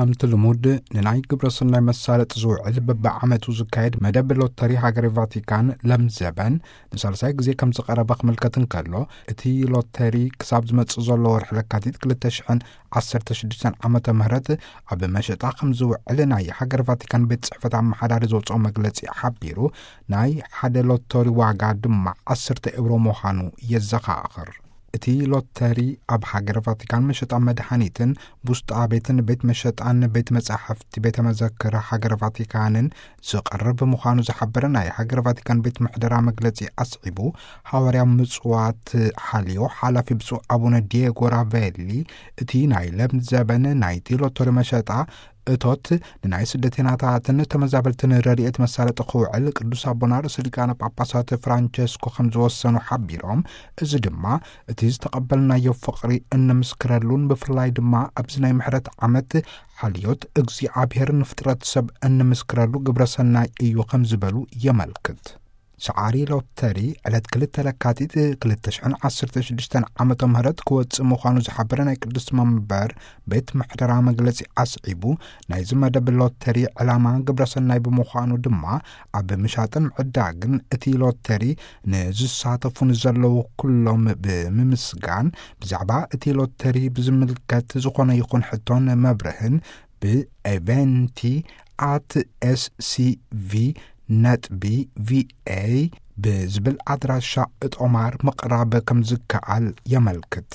ከምቲ ልሙድ፣ ንናይ ግብረ ሰናይ መሳለጥ ዝውዕል በብዓመቱ ዝካየድ መደብ ሎተሪ ሃገረ ቫቲካን ለምዘበን ንሳልሳይ ግዜ ከም ዝቐረበ ክምልከት እንከሎ፣ እቲ ሎተሪ ክሳብ ዝመጽእ ዘሎ ወርሒ ለካቲት ክልተ ሽሕን ዓሰርተ ሽዱሽተን ዓመተ ምህረት ኣብ መሸጣ ከም ዝውዕል ናይ ሃገረ ቫቲካን ቤት ጽሕፈት ኣመሓዳሪ ዘውፅኦ መግለጺ ሓቢሩ፣ ናይ ሓደ ሎተሪ ዋጋ ድማ ዓሰርተ ኤውሮ ምዃኑ የዘኻኽር። እቲ ሎተሪ ኣብ ሃገረ ቫቲካን መሸጣ መድሃኒትን ቡስጣ ቤትን ቤት መሸጣን ቤት መጻሕፍቲ ቤተ መዘክር ሃገረ ቫቲካንን ዝቐርብ ምዃኑ ዝሓበረ ናይ ሃገረ ቫቲካን ቤት ምሕደራ መግለጺ ኣስዒቡ፣ ሃዋርያ ምጽዋት ሓልዮ ሓላፊ ብፁዕ ኣቡነ ዲየጎ ራቬሊ፣ እቲ ናይ ለምዘበን ናይቲ ሎተሪ መሸጣ እቶት ንናይ ስደተኛታትን ተመዛበልትን ረድኤት መሳለጢ ክውዕል ቅዱስ ኣቦና ርእሰ ሊቃነ ጳጳሳት ፍራንቸስኮ ከም ዝወሰኑ ሓቢሮም፣ እዚ ድማ እቲ ዝተቐበልናዮ ፍቕሪ እንምስክረሉን ብፍላይ ድማ ኣብዚ ናይ ምሕረት ዓመት ሓልዮት እግዚኣብሔር ንፍጥረት ሰብ እንምስክረሉ ግብረ ሰናይ እዩ ከም ዝበሉ የመልክት። ሰዓሪ ሎተሪ ዕለት ክልተ ለካቲት ክልተ ሽሕን ዓሰርተ ሽዱሽተን ዓመተ ምህረት ክወጽእ ምዃኑ ዝሓበረ ናይ ቅዱስ መንበር ቤት ምሕደራ መግለጺ ኣስዒቡ፣ ናይዚ መደብ ሎተሪ ዕላማ ግብረ ሰናይ ብምዃኑ ድማ ኣብ ምሻጥን ምዕዳግን እቲ ሎተሪ ንዝሳተፉ ንዘለዉ ኩሎም ብምምስጋን፣ ብዛዕባ እቲ ሎተሪ ብዝምልከት ዝኾነ ይኹን ሕቶን መብርህን ብኤቨንቲ ኣት ኤስሲቪ ነጥቢ ቪኤ ብዝብል ኣድራሻ እጦማር ምቕራብ ከም ዝከኣል የመልክት።